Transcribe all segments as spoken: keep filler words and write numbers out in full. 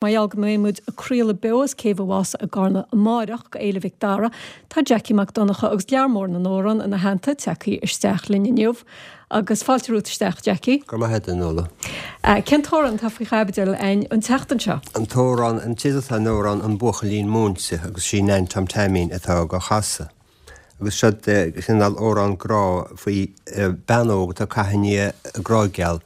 Mar gheall go mbeidh muid ag craoladh beo as Céibh an Mhása i gCarna amáireach go Fhéile Mhic Dara, tá Jackie Mac Donncha agus lear mór na n-amhrán ina theannta tagtha isteach linn inniu. Agus fáilte romhat isteach, Jackie. Go raibh maith agat, a Nuala. Cén t-amhrán atá faoi chaibidil againn an tseachtain seo? An t-amhrán, an teideal atá ar an amhrán An Buachaillín Múinte agus sí Nan Tom Taimín atá á chasadh. Agus seo cineál amhrán grá faoi bean óg atá ag caitheamh i ndiaidh a grá geal.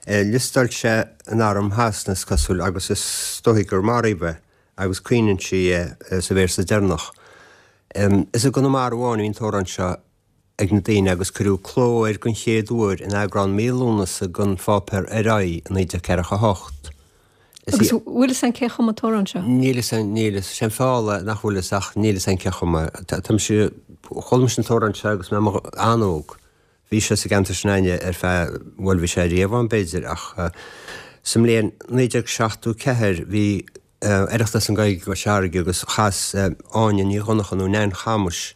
Liostáil sé in arm Shasana is cosúil agus is dóigh gur maraíodh é agus caoineann sí é sa véarsa deireanach. Is i gConamara amháin a bhí an t-amhrán seo ag na daoine agus cuireadh cló air den chéad uair in eagrán mí Lúnasa den pháipéar Ar Aghaidh i naoi déag ceathracha a hocht. Agus bhfuil fhios a'inn cé chum an t-amhrán seo? Níl fhios a'inn, níl fhios. Sé an feall é nach bhfuil fhios ach níl fhios a'inn cé chum é. Tá mise, chuala mise an t-amhrán seo agus mé an-óg. Bhí sé sa gceantar sin againne ar feadh, bhuel bhí sé riamh ann b'fhéidir ach sa mbliain naoi déag seachtó ceathair bhí Oireachtas na Gaeilge i gCois Fharraige agus chas Áine Ní Dhonncha nó Nain Chamuis,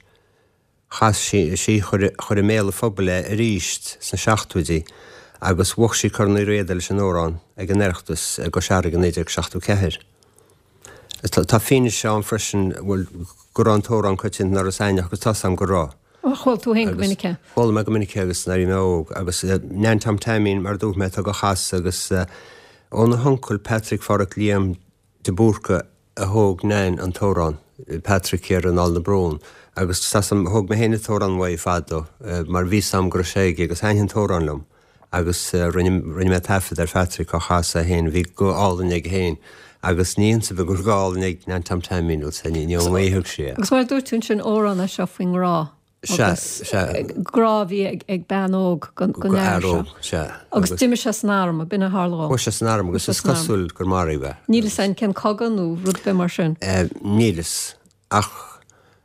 chas sí, sí chuir, chuir i mbéal an phobail é arís sna seachtóidí agus bhuaigh sí Corn Uí Riada leis an amhrán ag an Oireachtas i gCois Fharraige i naoi déag seachtó ceathair. Tá fianaise ann freisin, bhuel, go raibh an t-amhrán coitianta in Iorras Aithneach agus tá's a'm go raibh. Ó, chuala tú féin go minic é? Chuala mé go minic é agus nuair a bhí mé óg agus Nan Tom Taimín mar a dúirt mé atá á chasadh agus óna huncail Patrick Pháraic Liam de Búrca a thóg Nan an t-amhrán, Patrick thiar in Aill na Brón agus tá's a'm thóg mé féin an t-amhrán uaidh fadó mar bhí 's a'm go raibh sé aige agus thaitnigh an t-amhrán liom agus rinne rinne mé taifead ar Phatrick á chasadh é féin, bhí guth álainn aige féin agus ní iontas ar bith go raibh guth álainn ag Nan Tom Taimín, bhuel ní ní ón ngaoth a thug sí é. Agus mar a dúirt tú ansin amhrán é seo faoin ngrá agus grá a bhí ag bean óg don fhear seo. Sea. Agus d'imigh sé san arm, b'in a tharla dó. Chuaigh sé san arm agus is cosúil gur maraíodh é. Níl fhios a'inn cén cogadh nó rud ar bith mar sin. Níl fhios ach.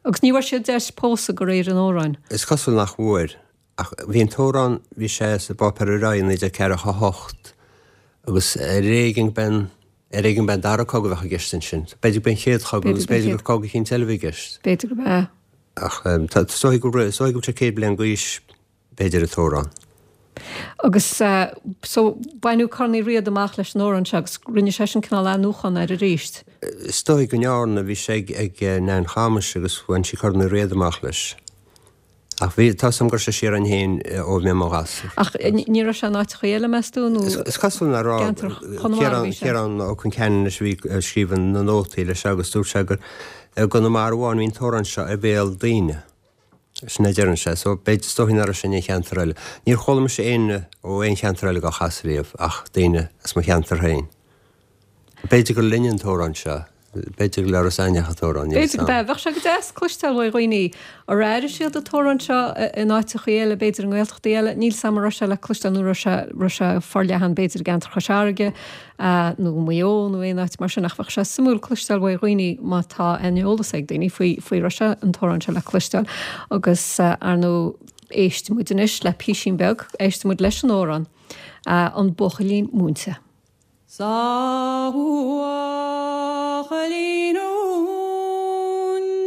Agus ní bhfuair sé deis pósadh de réir an amhráin. Is cosúil nach bhfuair. Ach bhí an t-amhrán, bhí sé sa bpáipéar Ar Aghaidh i naoi déag ceathracha a hocht agus ar éigean go b'en, ar éigean go b'en dara cogadh a bheadh i gceist ansin. B'fhéidir go b'en chéad chogadh agus b'fhéidir gur cogadh eicínt eile a bhí i gceist. B'fhéidir go b'ea. Ach tá, is dóigh go raibh, is dóigh go bhfuil sé céad bliain d'aois b'fhéidir an t-amhrán. Agus so baineadh Corn Uí Riada amach leis an amhrán seo agus rinne seisean cineál athnuachan air arís. Is dóigh go ndearna, bhí sé ag, ag Nan Chamuis agus bhain sí Corn Uí Riada amach leis. Ach bhí, tá 's a'm go raibh sé siar a'inn féin ó bhí mé i mo ghasúr. Ach ní raibh sé in áiteachaí eile, meas tú, nó Is cosúil nach raibh. gceantar Chonamara a bhí sé? Ciarán Ó Concheanainn leis a bhí ag scríobh na nótaí leis seo agus dúirt sé gur i gConamara amháin a bhí an t-amhrán seo ar bhéal daoine. Sin a deireann sé. So b'fhéidir, is dóigh nach raibh sé in aon cheantar eile. Níor chuala mise éinne ó aon cheantar eile dhá chasadh riamh ach daoine as mo cheantar féin. B'fhéidir gur linne an t-amhrán seo. B'fhéidir gur le Iorras Aithneach an t-amhrán, níl B'fhéidir 'fhios go a'm. b'ea. Bheadh sé go deas cloisteáil ó dhaoine ar airigh siad an t-amhrán seo in áiteachaí eile, b'fhéidir i nGaeltachtaí eile. Níl 's a'm an raibh sé le cloisteáil nó raibh sé raibh sé forleathan b'fhéidir i gceantar Chois Fharraige nó Maigh Eo nó aon áit mar sin ach bheadh sé suimiúil cloisteáil ó dhaoine má tá aon eolas ag daoine faoi faoi raibh sé an t-amhrán seo le cloisteáil agus ar ndóigh éistfidh muid anois le písín beag, éistfidh muid leis an amhrán An Buachaillín Múinte. Sa bhuachaillín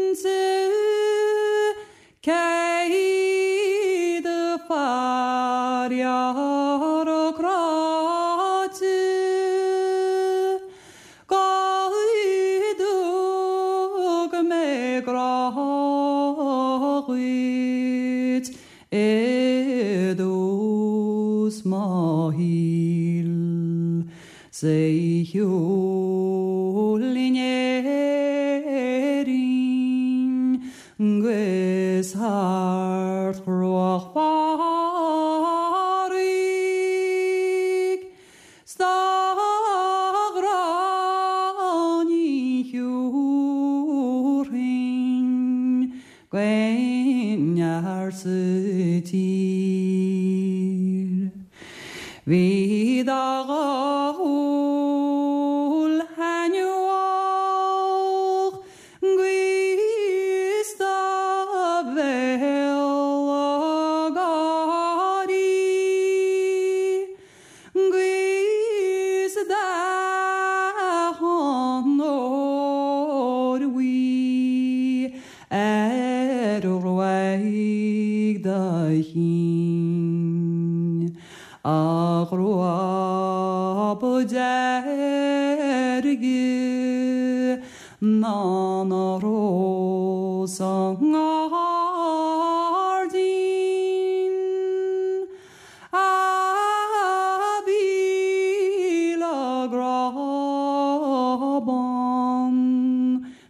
múinte céad fear cráite go dtug mé grá dhuit i dtús mo shaoil 's é shiúl in Éirinn 'gus thar chruach Phádraig 's dá ghrá ní thiúrfainn d'aon fhear sa tír. Bhí do dhúil thaitneamhach 'gus do bhéal ag gáirí 'gus dath an óir bhuí ar ghruaig do chinn, a ghruaig. ná na rós sa ngairdín a bhí le grá bán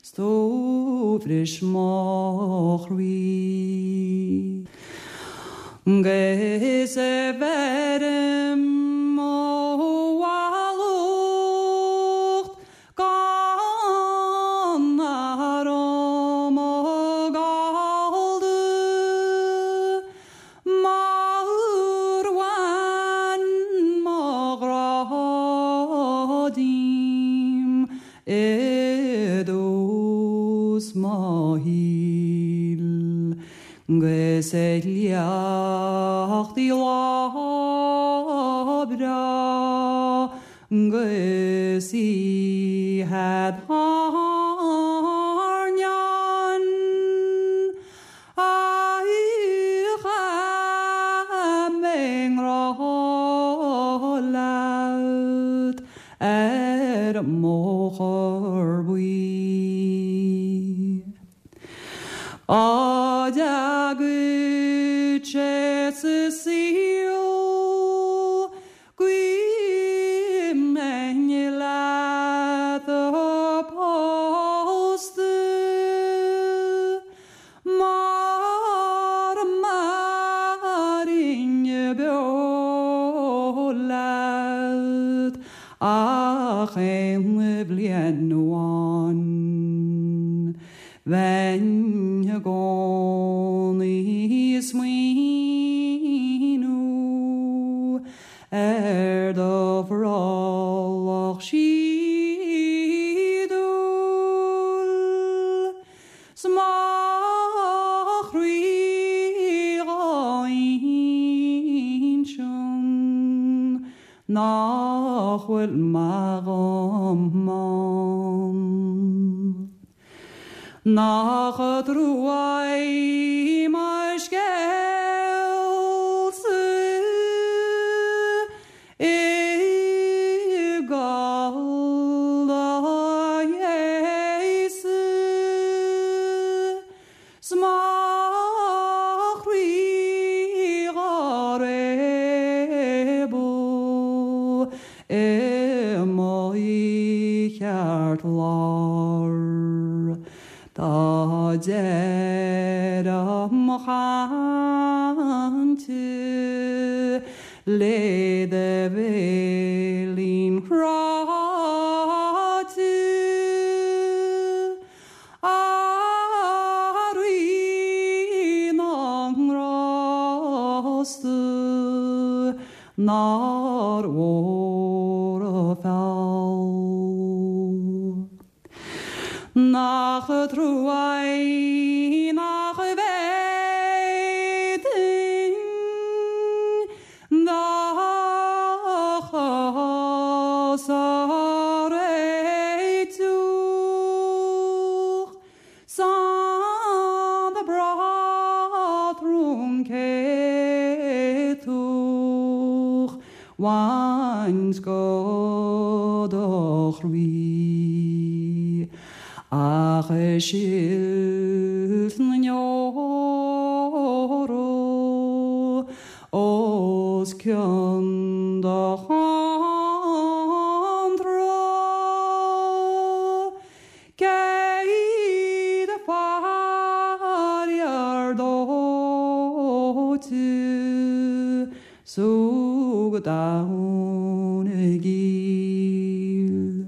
's tú bhris mo chroí. Gus bheirim mo mhallacht gan orm gallda Mar bhain mo ghrá díom i dtús mo shaoil Gus ag liacht í lá breá gus í had airneán a chaith mé i ngrá leat ar an mbóthar buí. Á dteagadh sé sa saol go mbeinn leat pósta mar a mairfinn beo leat ach aon bhliain amháin. Bheinn i gcónaí ag smaoineamh ar do bhrollach síodúil 's mo chroí dhá insint nach bhfuil maith dhom ann. Nach trua é mo scéalsa i gcall do ghéasa 's mo chroí dhá réabadh i mo cheartlár. Tá deireadh mo chainte le do bhéilín cráite a Rí na nGrásta nár mhór an feall. Nach trua é nach bhféadfainn do chás a réiteach 's an patrún céadach bhaint go do chroí. Ach i silt na ndeor os cionn do chontra Céad fear dóite súg domhan i gcill.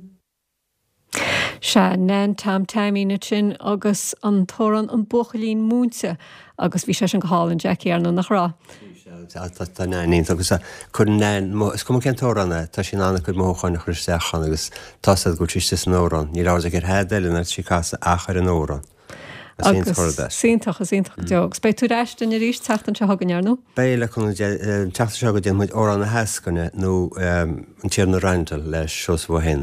Sea Nan Tom Taimín sin agus an t-amhrán an buachaillín múinte agus bhí sé sin go hálainn Jackie ar nó nach raibh. Tá Nan agus chun Nan is cuma cén t-amhrán é tá sí in ann a cuid mothúchán a chur isteach ann agus tá go bhfuil sí san amhrán. Ní raibh ar hed eile na sí casa achar an amhrán. Agus iontach is iontach deo. Agus beidh tú ar ais linn arís tseachtain seo chugainn ar nó? Beidh le chun teachta seo go déanfaidh muid amhrán na heascaine nó an Tiarna Randall le Seosamh Ó hÉanaí.